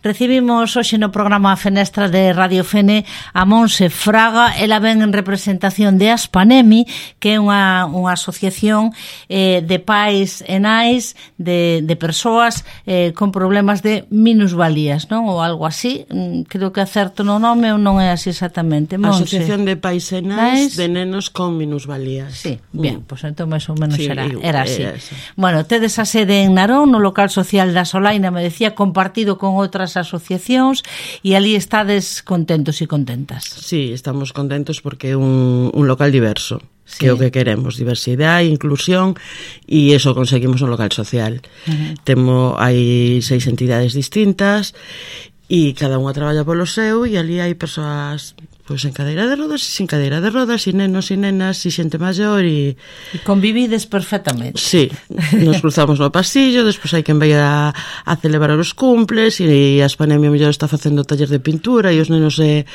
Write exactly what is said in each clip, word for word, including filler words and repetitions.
Recibimos hoxe no programa A Fenestra de Radio Fene a Montse Fraga. Ela ven en representación de Aspanemi, que é unha, unha asociación eh, de pais e nais de, de persoas eh, con problemas de minusvalías, non? Ou algo así. Creo que acerto no nome ou non é así exactamente. Montse. Asociación de pais e nais de nenos con minusvalías. Sí, bien, mm. pois pues entón máis ou menos sí, era, era así. Era bueno, tedes a sede en Narón, no local social da Solaina, me decía, compartido con outras asociacións, e ali estades contentos e contentas. Sí, estamos contentos porque é un, un local diverso, sí. Que é o que queremos, diversidade, inclusión, e iso conseguimos no local social. Uh-huh. Temo, hai seis entidades distintas e cada unha traballa polo seu, e ali hai persoas pois en cadeira de rodas e sin cadeira de rodas, e nenos e nenas e xente maior, e... E convivides perfectamente. Sí, nos cruzamos no pasillo, despois hai quen vai a, a celebrar os cumples, e a Aspanemi mellor está facendo taller de pintura, e os nenos se,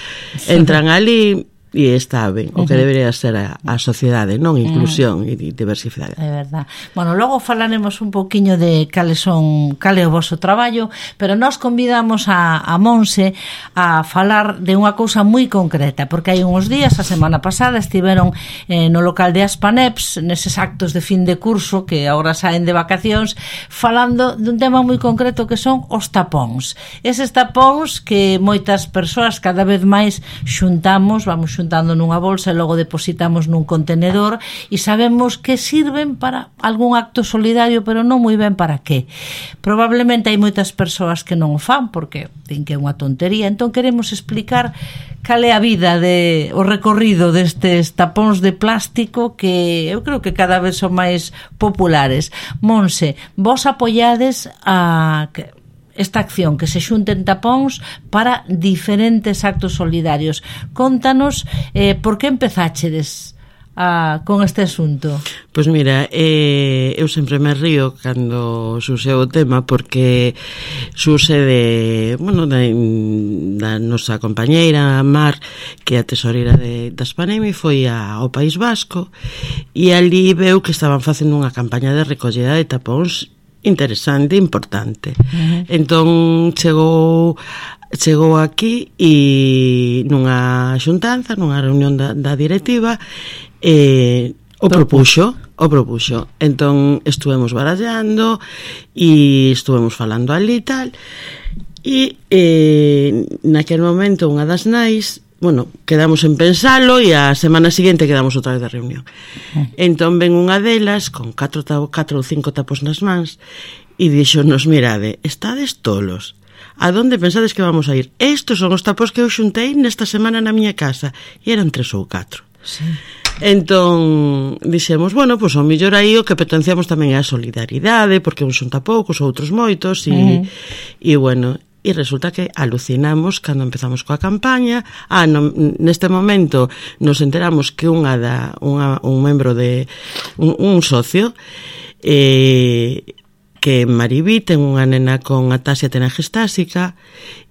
entran ali... E está ben, o que debería ser a, a sociedade, non? Inclusión uh-huh. e diversidade. É verdad. Bueno, logo falaremos un pouquiño de cales son, cale o vosso traballo, pero nós convidamos a, a Montse a falar de unha cousa moi concreta, porque hai uns días, a semana pasada, estiveron eh, no local de Aspaneps, neses actos de fin de curso, que agora saen de vacacións, falando dun tema moi concreto que son os tapóns. Eses tapóns que moitas persoas cada vez máis xuntamos, vamos xuntamos juntando nunha bolsa e logo depositamos nun contenedor, e sabemos que sirven para algún acto solidario, pero non moi ben para que. Probablemente hai moitas persoas que non o fan porque din que é unha tontería, entón queremos explicar cal é a vida de, o recorrido destes tapóns de plástico que eu creo que cada vez son máis populares. Montse, vos apoiades a... esta acción, que se xunten tapóns para diferentes actos solidarios. Contanos eh, por que empezáchedes a, con este asunto. Pois mira, eh, eu sempre me río cando xuse o tema, porque xuse de, bueno, da, da nosa compañeira Mar, que é a tesoreira de, da Aspanemi, foi a, ao País Vasco, e ali veu que estaban facendo unha campaña de recollida de tapóns interesante, importante. Uh-huh. Entón chegou chegou aquí e nunha xuntanza, nunha reunión da, da directiva, eh, o propuxo, o propuxo. Entón estuvemos barallando e estuvemos falando ali e tal, e eh, naquele momento unha das nais, bueno, quedamos en pensalo, e a semana seguinte quedamos outra vez de reunión. Entón ven unha delas con catro, catro ou cinco tapos nas mans e dixonos, mirade, estades tolos, a donde pensades que vamos a ir? Estos son os tapos que eu xuntei nesta semana na miña casa, e eran tres ou catro. Sí. Entón dixemos, bueno, pois ao mellor aí o que potenciamos tamén é a solidaridade, porque uns xunta poucos, outros moitos, e, uh-huh. e bueno... E resulta que alucinamos cando empezamos coa campaña. Ah, no, neste momento nos enteramos que unha da, unha, un membro de un, un socio eh, que Maribí ten unha nena con ataxia telangiestásica,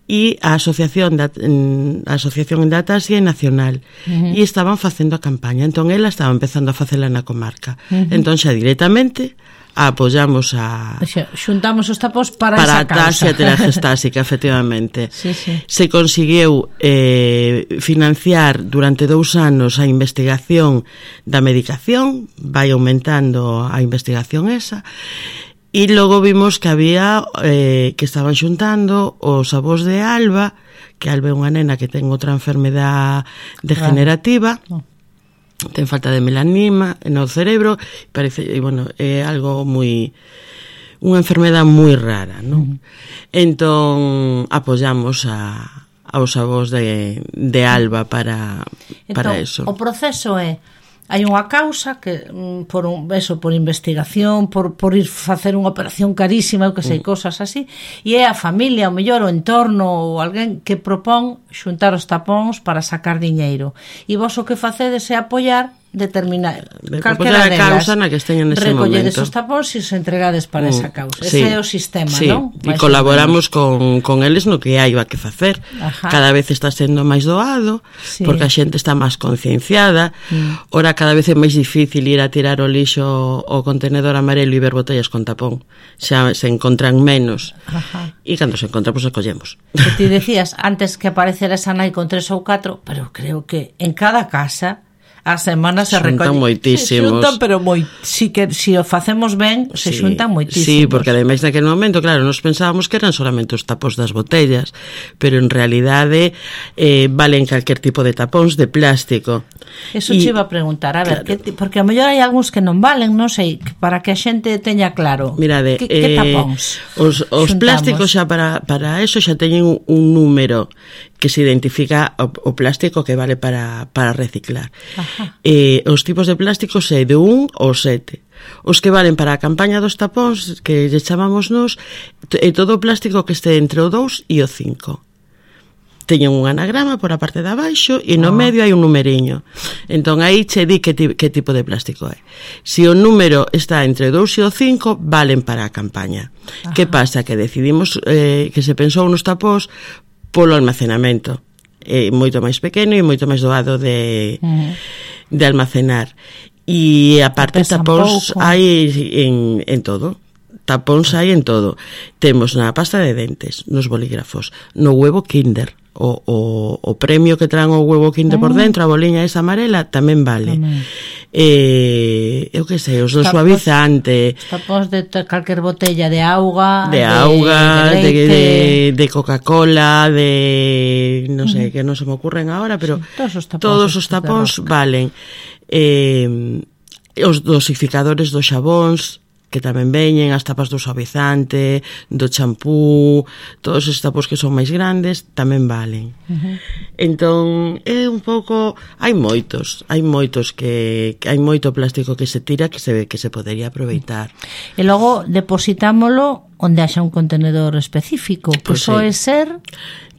e a asociación da, a asociación da ataxia é nacional, uh-huh. e estaban facendo a campaña, entón ela estaba empezando a facela na comarca, uh-huh. entón xa directamente apoyamos a... Xuntamos os tapos para, para esa causa. Para a taxa telangiestásica, efectivamente. Sí, sí. Se conseguiu eh, financiar durante dous anos a investigación da medicación, vai aumentando a investigación esa, e logo vimos que había, eh, que estaban xuntando os avós de Alba, que Alba é unha nena que ten outra enfermedade degenerativa, ah. ten falta de melanima no cerebro, parece, e bueno, é algo moi, unha enfermedade moi rara, non? Uh-huh. Entón apoyamos a aos avós de, de Alba para entón, para eso. O proceso é, hai unha causa que por un eso, por investigación, por, por ir facer unha operación carísima, eu que sei, mm. cosas así, e é a familia, o mellor o entorno ou alguén que propón xuntar os tapóns para sacar diñeiro, e vos o que facedes é apoiar determinar calquera delas, causa na que esteñen nese momento. Recolledes os tapóns e os entregades para mm, esa causa. Sí, ese é o sistema, sí, non? E colaboramos con, con eles no que hai que facer. Ajá. Cada vez está sendo máis doado, sí, porque a xente está máis concienciada. Mm. Ora cada vez é máis difícil ir a tirar o lixo o contenedor amarelo e ver botellas con tapón. Xa se encontran menos. Ajá. E cando se encontran, pois, pues, acollemos. Que ti decías antes que aparecera esa nai con tres ou catro, pero creo que en cada casa a semana se xuntan moitísimos. Se xuntan, pero moi, si que si o facemos ben, se sí, xuntan moitísimos. Sí, porque ademais naquele momento, claro, nos pensábamos que eran solamente os tapóns das botellas, pero en realidade eh, valen calquer tipo de tapóns de plástico. Eso e, che iba a preguntar, a ver, claro, que, porque a mellor hai algúns que non valen, non sei, para que a xente teña claro. Mirade, que, que tapóns eh, os, os plásticos xa para, para eso xa teñen un, un número que se identifica o, o plástico que vale para, para reciclar. Ajá. Eh, os tipos de plásticos é de un ao sete. Os que valen para a campaña dos tapóns, que lle chamamos nos, é todo o plástico que este entre o dous e o cinco. Teñen un anagrama por a parte de abaixo e no ah. medio hai un numeriño. Entón aí che di que, ti, que tipo de plástico é. Se o número está entre o dous e o cinco, valen para a campaña. Ajá. Que pasa? Que decidimos eh, que se pensou nos tapóns polo almacenamento. É moito máis pequeno e moito máis doado de, uh-huh. de almacenar. E a parte tapóns hai en, en todo. Tapóns hai en todo. Temos na pasta de dentes, nos bolígrafos, no huevo Kinder. O, o, o premio que traen o huevo Kinder uh-huh. por dentro, a boliña esa amarela, tamén vale. Uh-huh. Eh, eu que sei, os do suavizante, tapóns de calquer botella de auga, de, de auga, de, de, de, de Coca-Cola, de non sei, uh-huh. que non se me ocurren agora, pero sí, todos os tapóns, todos os tapóns valen. Eh, os dosificadores dos xabóns, que tamén veñen, as tapas do suavizante, do champú, todos os tapos que son máis grandes tamén valen. Uh-huh. Entón, é un pouco, hai moitos, hai moitos que, que hai moito plástico que se tira que se que se podería aproveitar. E logo depositámolo onde haxa un contenedor específico, que pues soe sí. ser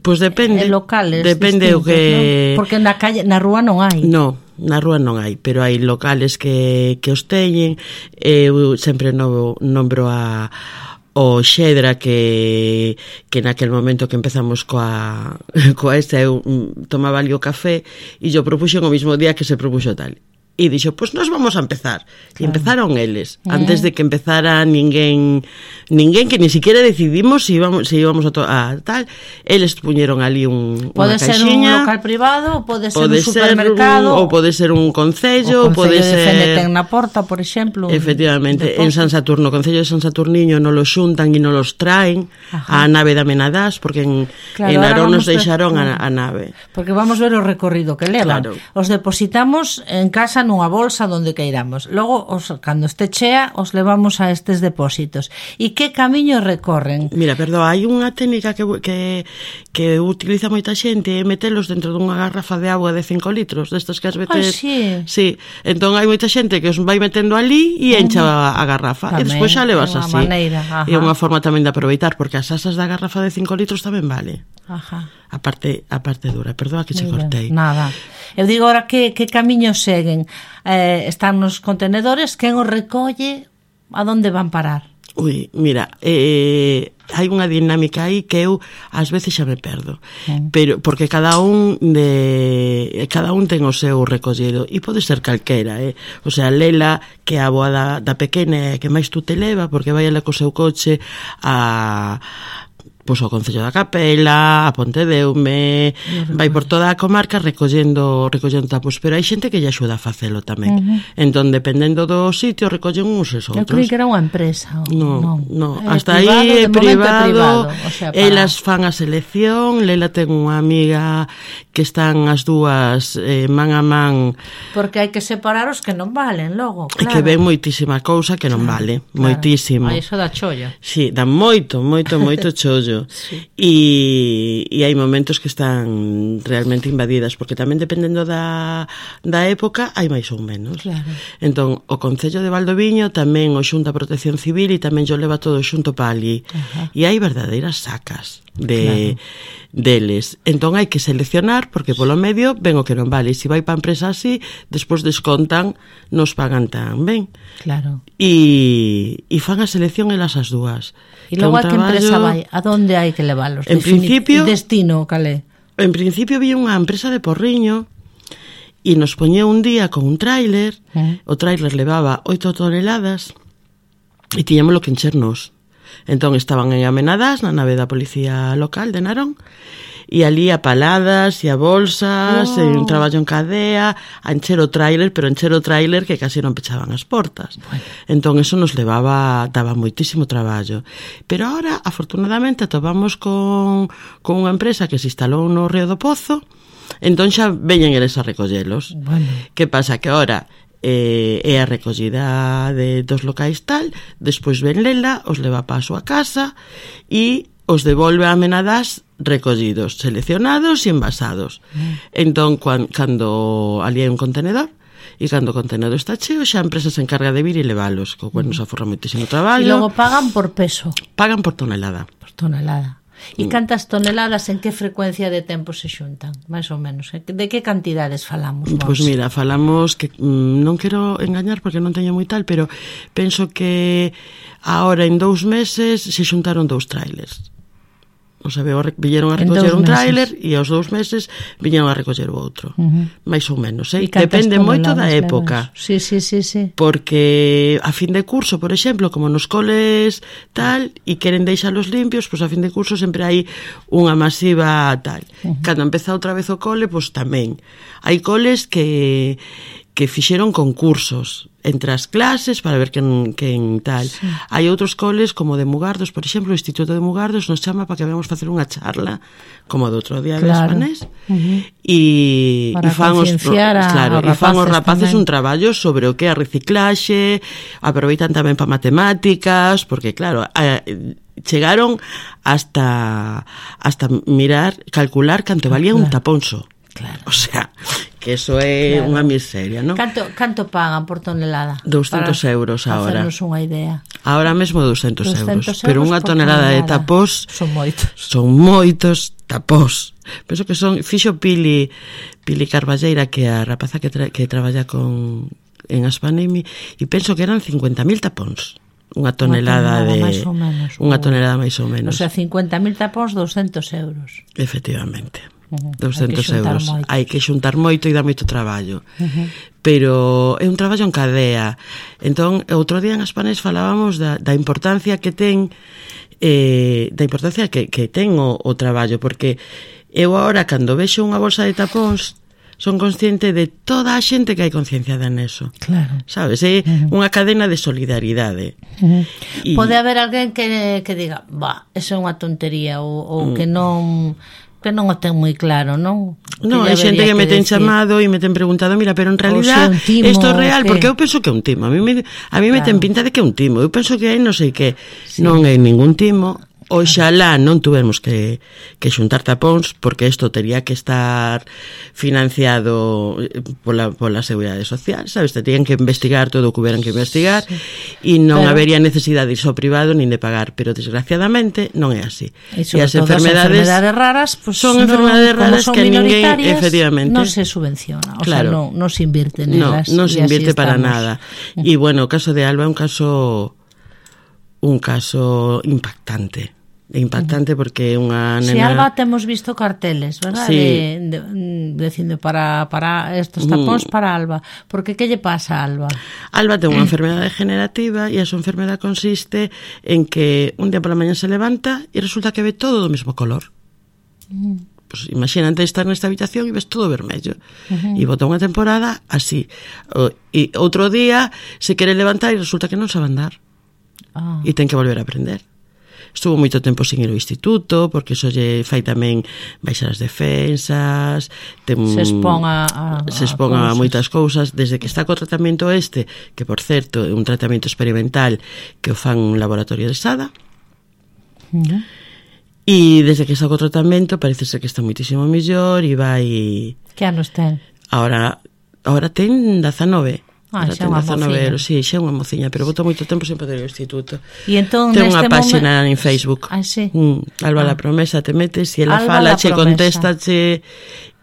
Pois pues depende, eh, locales depende o que, ¿no? Porque na calle, na rúa non hai. No, na rúa non hai, pero hai locales que, que os teñen. Eu sempre novo, nombro a o Xedra que que naquel momento que empezamos coa coa esta eu tomaba ali o café e yo propuxen o mismo día que se propuxo tal. E dixo, pois pues nos vamos a empezar. Claro. E empezaron eles, eh. antes de que empezara ninguén, ninguén que ni siquiera decidimos se íbamos, se íbamos a, to- a tal, eles puñeron ali un, pode unha caixinha. Pode ser un local privado, pode ser pode un supermercado. Ser un, ou pode ser un concello, o pode ser... ser... ten na porta, por exemplo. Efectivamente, en San Saturno, o Concello de San Saturniño non los xuntan e non los traen. Ajá. A nave da Menadás, porque en, claro, en Narón nos deixaron ver... a, a nave. Porque vamos ver o recorrido que levan. Claro. Os depositamos en casa nunha bolsa donde queiramos. Logo, os, cando este chea, os levamos a estes depósitos. E que camiño recorren? Mira, perdón, hai unha técnica que, que, que utiliza moita xente, é metelos dentro dunha garrafa de agua de cinco litros, destas que as metes... Ah, sí. Sí, entón hai moita xente que os vai metendo ali e encha uh-huh. a, a garrafa. Tamén, e despois xa levas así. É unha forma tamén de aproveitar, porque as asas da garrafa de cinco litros tamén vale. Ajá. A parte, a parte dura, perdón que che cortei. Nada. Eu digo ahora que, que camiños seguen. Eh, están nos contenedores, quen os recolle, a donde van parar? Ui, mira, eh, hai unha dinámica aí que eu ás veces xa me perdo, mm. pero porque cada un de cada un ten o seu recollido e pode ser calquera, eh? O sea, Lela, que é a boa da, da pequena que máis tú te leva, porque vai ela co seu coche a pois ao Concello da Capela, a Pontedeume, vai por toda a comarca recollendo recollendo tapos, pero hai xente que lle axuda a facelo tamén. Uh-huh. Entón, dependendo do sitio, recollen uns e outros. Eu creí que era unha empresa. No, no, no. Hasta privado, aí é privado, privado. O sea, para... elas fan a selección, Lela ten unha amiga que están as dúas eh, man a man. Porque hai que separar os que non valen, logo, claro. E que ven moitísima cousa que non claro, vale, claro. Moitísimo. A iso da cholla. Sí, dá moito, moito, moito chollo. traballo. Sí. E, e hai momentos que están realmente invadidas, porque tamén dependendo da, da época hai máis ou menos. Claro. Entón, o Concello de Valdoviño tamén o xunta a Protección Civil e tamén yo leva todo xunto pa ali. Ajá. E hai verdadeiras sacas de, claro. deles. Entón hai que seleccionar, porque polo medio ven o que non vale. Se vai pa empresa así, despois descontan, nos pagan tan ben. Claro. E, e fan a selección elas as dúas. E logo a que empresa vai? A donde hai que leválos? En principio, destino, calé? En principio vi unha empresa de Porriño e nos poñeu un día con un tráiler, eh. o tráiler levaba oito toneladas e tiñámoslo que enchernos. Entón estaban en Amenadas, na nave da policía local de Narón, e ali a paladas e a bolsas, wow. e un traballo en cadea, a encher o tráiler, pero encher o tráiler que casi non pechaban as portas. Bueno. Entón eso nos levaba, daba moitísimo traballo. Pero ahora, afortunadamente, atopamos con, con unha empresa que se instalou no Río do Pozo, entón xa veñen eles a recollelos. Bueno. Que pasa? Que ahora eh, é a recollida de, dos locais tal, despois ven Lela, os leva pa a súa casa e os devolve a Amenadas recollidos, seleccionados e envasados. Mm. Entón, cuan, cando ali hai un contenedor, e cando o contenedor está cheo, xa a empresa se encarga de vir e leválos, co cual nos aforra moitísimo traballo. E logo pagan por peso? Pagan por tonelada. Por tonelada. E cantas toneladas, en que frecuencia de tempo se xuntan, máis ou menos? De que cantidades falamos? Pois pues mira, falamos que mm, non quero engañar porque non teño moi tal, pero penso que ahora en dous meses se xuntaron dous trailers. O sea, viñeron a recoller un tráiler e aos dous meses viñeron a recoller o outro. Uh-huh. Mais ou menos, eh? Depende moito da época. Sí, sí, sí, sí. Porque a fin de curso, por exemplo, como nos coles tal, e queren deixalos limpios, pois pues a fin de curso sempre hai unha masiva tal. Uh-huh. Cando empeza outra vez o cole, pois pues tamén. Hai coles que que fixeron concursos entre as clases para ver quen, quen tal. Sí. Hai outros coles como de Mugardos, por exemplo, o Instituto de Mugardos nos chama para que vamos facer unha charla como do outro día claro. de Espanés uh-huh. e, e fan os, a, claro, e fan os rapaces tamén. Un traballo sobre o que é a reciclaxe, aproveitan tamén para matemáticas, porque claro, a, chegaron hasta hasta mirar, calcular canto valía claro. un taponso. Claro. O sea, que eso é claro. unha miseria, non? Canto, canto pagan por tonelada? doscientos euros ahora. Para hacernos unha idea. Ahora mesmo doscientos euros. euros Pero unha tonelada, tonelada de tapós... Son moitos. Son moitos tapós. Penso que son... Fixo Pili, Pili Carballeira, que é a rapaza que, tra, que traballa con en Aspanemi, e penso que eran cincuenta mil tapóns. Unha tonelada, tonelada de... máis ou menos. Unha tonelada máis ou menos. O sea, cincuenta mil tapóns, doscientos euros. Efectivamente. Uh-huh. doscientos euros. Moito. Hai que xuntar moito e dá moito traballo. Uh-huh. Pero é un traballo en cadea. Entón, outro día en Aspanés falábamos da, da importancia que ten eh, da importancia que, que ten o, o traballo, porque eu agora, cando vexo unha bolsa de tapóns, son consciente de toda a xente que hai concienciada neso. Claro. Sabes? É uh-huh. unha cadena de solidaridade. Uh-huh. Y... Pode haber alguén que, que diga, bah, eso é unha tontería, ou, ou uh-huh. que non... que non o ten moi claro, non? Non, hai xente que, que me ten decir... chamado e me ten preguntado, mira, pero en realidad isto é real, que... porque eu penso que é un timo. A mí me, a mí me claro. ten pinta de que é un timo. Eu penso que hai non sei que, sí. non é ningún timo. Oxalá non tuvermos que, que xuntar tapóns, porque isto tería que estar financiado pola, pola Seguridade Social, sabes? Te terían que investigar todo o que hubieran que investigar e sí. non pero... habería necesidade de ir ao privado nin de pagar, pero desgraciadamente non é así. E, e as enfermedades, enfermedades raras pues, son no, enfermedades raras que ninguén, efectivamente, non se subvenciona, o claro. sea, non, non se invirte No, nelas. non se invirte para nada. E bueno, o caso de Alba é un caso un caso impactante. Impactante porque é unha nena... Si, Alba temos visto carteles, verdad? Sí. De, de, dicindo para, para estos tapóns mm. para Alba. Porque que lle pasa a Alba? Alba ten unha enfermedade degenerativa e a súa enfermedade consiste en que un día pola mañá se levanta e resulta que ve todo do mesmo color. Mm. Pues imagínate estar nesta habitación e ves todo vermello. Uh-huh. E bota unha temporada así. O, e outro día se quere levantar e resulta que non sabe andar. Ah. E ten que volver a aprender. Estuvo moito tempo sin ir ao instituto, porque iso lle fai tamén baixar as defensas, ten, se expón a, a, se expón a, a moitas cousas, desde que está co tratamento este, que por certo é un tratamento experimental que o fan un laboratorio de Sada, uh-huh. E desde que saco o tratamento parece ser que está moitísimo mellor e vai... Que anos ten? Ahora, ahora ten dezanove. Ah, xa unha mociña. Sí, xa unha mociña, pero botou moito tempo sen poder ir ao instituto. E entón, ten unha páxina momen... en Facebook. Ah, sí. Mm, Alba ah. la Promesa, te metes e ela Alba fala, che promesa. contesta, che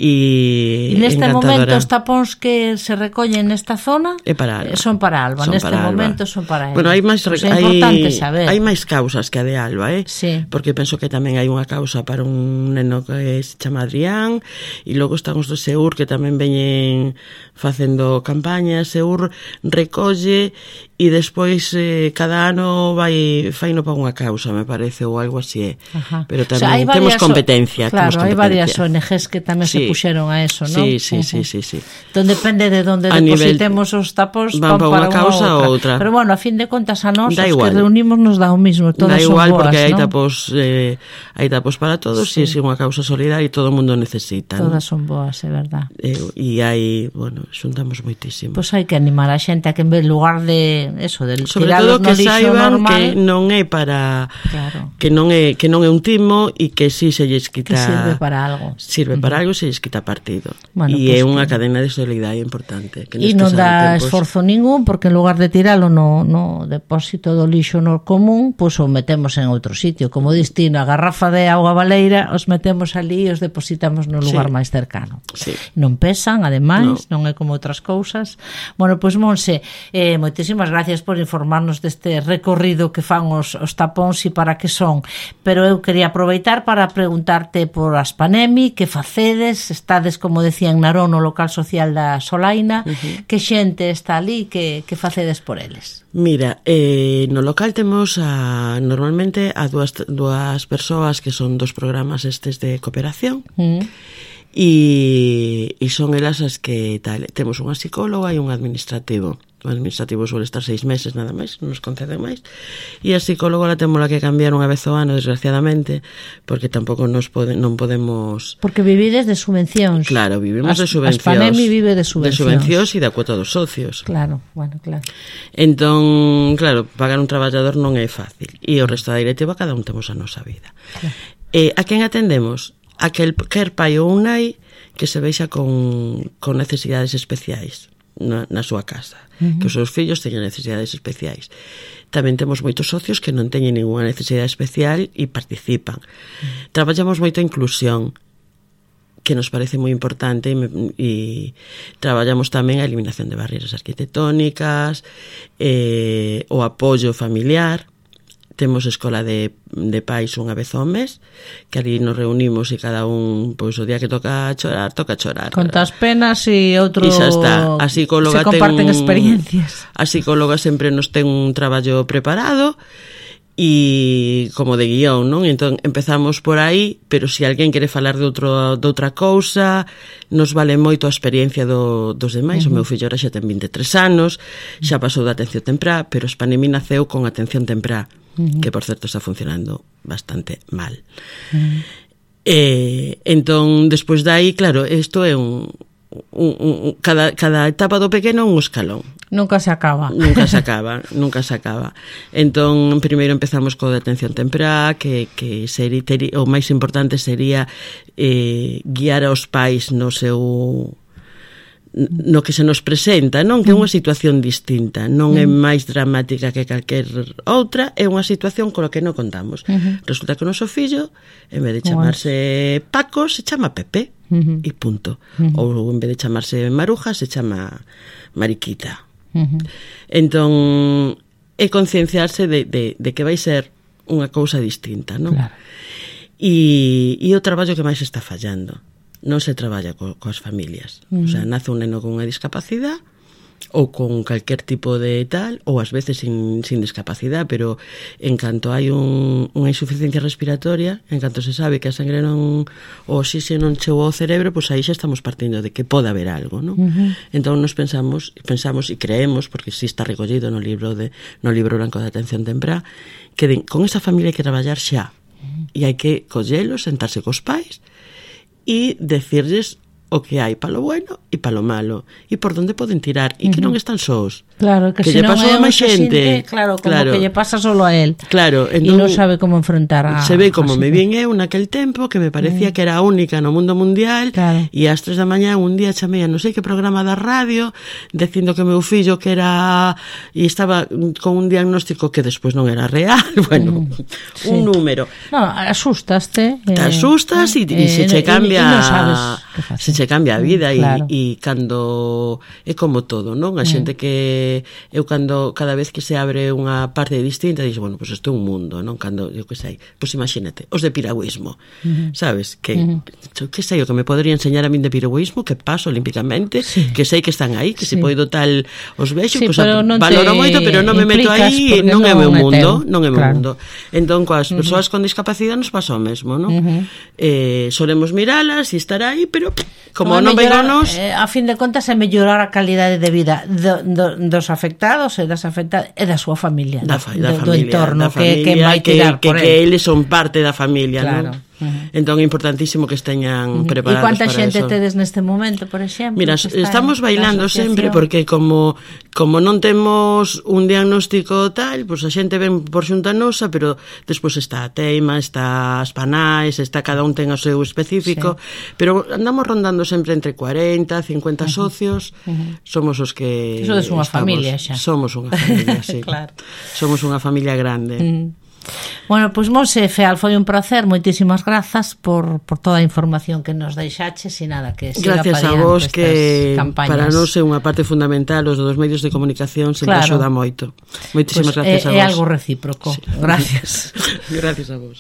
e, e neste encantadora. momento os tapóns que se recollen nesta zona é para Alba. Son para Alba, son neste para momento Alba. son para ela. Bueno, hai máis pues hai, é importante saber. Hai máis causas que a de Alba, eh? Sí. Porque penso que tamén hai unha causa para un neno que se chama Adrián, e logo están os do Seur que tamén veñen facendo campañas. Seur recolle e despois eh, cada ano vai faino para unha causa, me parece, ou algo así, eh. Ajá. Pero tamén o sea, temos competencia. Claro, temos competencia. hai varias O N Ges que tamén sí. se puxeron a eso, non? Sí, sí, uh-huh. sí, sí, sí. Entón depende de onde a depositemos nivel, os tapos van para unha causa ou outra. Pero bueno, a fin de contas a nós da os igual. que reunimos nos dá o mismo, todas da igual, son boas, porque hai ¿no? tapos eh, hai tapos para todos, sí. e é unha causa solidaria e todo o mundo necesita. Todas ¿no? son boas, é verdad. E eh, hai, bueno, xuntamos moitísimo. Pois pues hai que animar a xente a que en vez lugar de eso, del sobre tirarlos todo que no lixo saiban normal, que non é para claro. que non é que non é un timo e que si se lles quita que sirve para algo. Sirve uh-huh. para algo e se lles quita partido. Bueno, e pues é unha que... cadena de solidaridade importante. E non dá tempos... esforzo ningún, porque en lugar de tiralo no, no depósito do lixo no común, pois pues o metemos en outro sitio. Como distino a garrafa de auga baleira, os metemos ali e os depositamos no lugar sí. máis cercano. Sí. Non pesan, ademais, no. non é como outras cousas. Bueno, pois pues, Monse, eh, moitísimas gracias por informarnos deste recorrido que fan os, os tapóns e para que son. Pero eu quería aproveitar para preguntarte por Aspanemi, que facedes, estades, como decía, en Narón, no local social da Solaina, uh-huh. que xente está ali, que, que facedes por eles? Mira, eh, no local temos a, normalmente a dúas, dúas persoas que son dos programas estes de cooperación, uh-huh. e, e son elas as que tal, temos unha psicóloga e un administrativo. O administrativo suele estar seis meses nada máis, non nos conceden máis, e a psicóloga la temos que cambiar unha vez ao ano, desgraciadamente, porque tampouco nos pode, non podemos... Porque vivides de subvencións. Claro, vivimos As, de subvencións. Aspanemi vive de subvencións. De subvencións e da cuota dos socios. Claro, bueno, claro. Entón, claro, pagar un traballador non é fácil, e o resto da directiva cada un temos a nosa vida. Claro. Eh, a quen atendemos? A que el quer pai ou un nai que se veixa con, con necesidades especiais na, na súa casa, uh-huh. que os seus fillos teñen necesidades especiais. Tamén temos moitos socios que non teñen ninguna necesidade especial e participan. Uh-huh. Traballamos moito a inclusión, que nos parece moi importante, e, e traballamos tamén a eliminación de barreiras arquitectónicas, eh, o apoio familiar. Temos escola de, de pais unha vez ao mes, que ali nos reunimos e cada un, pois o día que toca chorar, toca chorar. Contas penas e outro... E xa está. A psicóloga se comparten ten un, experiencias. A psicóloga sempre nos ten un traballo preparado e como de guión, non? Entón empezamos por aí, pero se alguén quere falar de, outro, de outra cousa, nos vale moito a experiencia do, dos demais. Uh-huh. O meu fillo ahora xa ten vinte e tres anos, xa pasou da atención temprá, pero Aspanemi naceu con atención temprá, uh-huh. que por certo está funcionando bastante mal. Uh-huh. Eh, entón, despois dai, claro, isto é un... Un, un, cada, cada etapa do pequeno un escalón. Nunca se acaba. Nunca se acaba, nunca se acaba. Entón, primeiro empezamos co de atención temprá, que, que sería, tería, o máis importante sería eh, guiar aos pais no seu... no que se nos presenta, non? Que é unha situación distinta, non é máis dramática que calquer outra, é unha situación con a que non contamos. Uh-huh. Resulta que o noso fillo, en vez de chamarse Paco, se chama Pepe, uh-huh. e punto. Uh-huh. Ou en vez de chamarse Maruja, se chama Mariquita. Uh-huh. Entón, é concienciarse de, de, de que vai ser unha cousa distinta, non? Claro. E, e o traballo que máis está fallando. Non se traballa co, coas familias. Uh-huh. O sea, nace un neno con unha discapacidade ou con calquer tipo de tal, ou ás veces sin, sin discapacidade, pero en canto hai un, unha insuficiencia respiratoria, en canto se sabe que a sangre non, o oxígeno non chegou ao cerebro, pois aí xa estamos partindo de que pode haber algo, non? Uh-huh. Entón nos pensamos, pensamos e creemos, porque si está recollido no libro de no libro branco de atención temprá, que de, con esa familia hai que traballar xa, uh-huh. e hai que collelos, sentarse cos pais e decirles o que hai palo bueno e palo malo, e por onde poden tirar, e que non están sós. Claro, que, que se lle non pasou é a un máis xente. Claro, como claro. que lle pasa solo a él. Claro, e entón, non sabe como enfrentar a... Se ve como me vin eu naquel tempo, que me parecía mm. que era a única no mundo mundial, claro. e ás tres da mañá un día chamei a non sei que programa da radio, dicindo que meu fillo que era... e estaba con un diagnóstico que despois non era real, bueno, mm. sí. un número. No, asustaste. Te eh, asustas e eh, se che cambia... E non sabes se che cambia a vida, claro. e cando... é como todo, non? A xente que... eu cando... cada vez que se abre unha parte distinta, dixo, bueno, pois pues isto é un mundo, non? Cando, eu que sei, pois pues imagínate, os de piragüismo, uh-huh. sabes? Que, uh-huh. que sei, o que me podería enseñar a min de piragüismo, que paso olímpicamente, sí. que sei que están aí, que sí. se poido tal os vexo, sí, pois pues, valoro moito, pero non me meto aí, non é meu mundo, non é meu claro. mundo. Entón, coas uh-huh. persoas con discapacidade nos pasa o mesmo, non? Uh-huh. Eh, solemos miralas e estar aí, pero como non vegonos... Eh, a fin de contas é mellorar a calidade de vida do, do, dos afectados e das afectadas e da súa familia, da, fa, da do, familia, do entorno, da familia, que, que vai tirar que, por que, que eles son parte da familia, claro. non? Uh-huh. Entón é importantísimo que esteñan uh-huh. preparados para eso. E quanta xente tedes neste momento, por exemplo? Mira, estamos bailando sempre porque como como non temos un diagnóstico tal, pois pues a xente ven por xunta nosa, pero despois está a teima, está as panais, está cada un ten o seu específico, sí. pero andamos rondando sempre entre cuarenta, cincuenta uh-huh. socios, uh-huh. somos os que Eso é unha familia xa. Somos unha familia, sí. Claro. Somos unha familia grande. Mm. Bueno, pois pues, Monse Feal, foi un placer, moitísimas grazas por, por toda a información que nos deixaches e nada, que siga gracias a vos, que campañas. Para nós é unha parte fundamental os dos medios de comunicación, sempre claro. axuda moito. Moitísimas pues, gracias é, a vos. É algo recíproco. Sí. Gracias. Gracias a vos.